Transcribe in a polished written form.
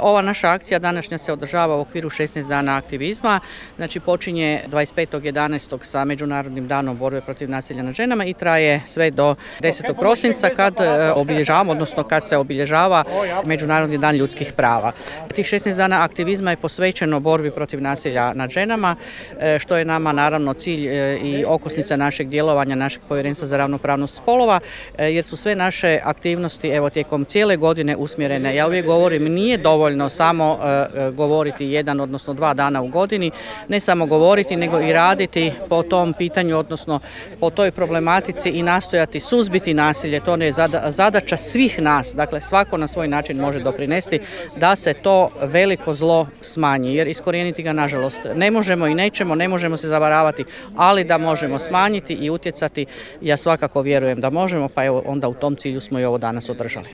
Ova naša akcija današnja se održava u okviru 16 dana aktivizma, znači počinje 25.11. sa Međunarodnim danom borbe protiv nasilja nad ženama i traje sve do 10. prosinca kad obilježavamo, odnosno kad se obilježava Međunarodni dan ljudskih prava. Tih 16 dana aktivizma je posvećeno borbi protiv nasilja nad ženama, što je nama naravno cilj i okosnica našeg djelovanja, našeg Povjerenstva za ravnopravnost spolova, jer su sve naše aktivnosti tijekom cijele godine usmjerene. Ja uvijek govorim, nije dovoljno samo govoriti jedan, odnosno 2 dana u godini, ne samo govoriti, nego i raditi po tom pitanju, odnosno po toj problematici i nastojati suzbiti nasilje. To je zadaća svih nas, dakle svako na svoj način može doprinesti da se to veliko zlo smanji, jer iskorijeniti ga nažalost ne možemo i nećemo, ne možemo se zavaravati, ali da možemo smanjiti i utjecati, ja svakako vjerujem da možemo, pa evo onda u tom cilju smo i ovo danas održali.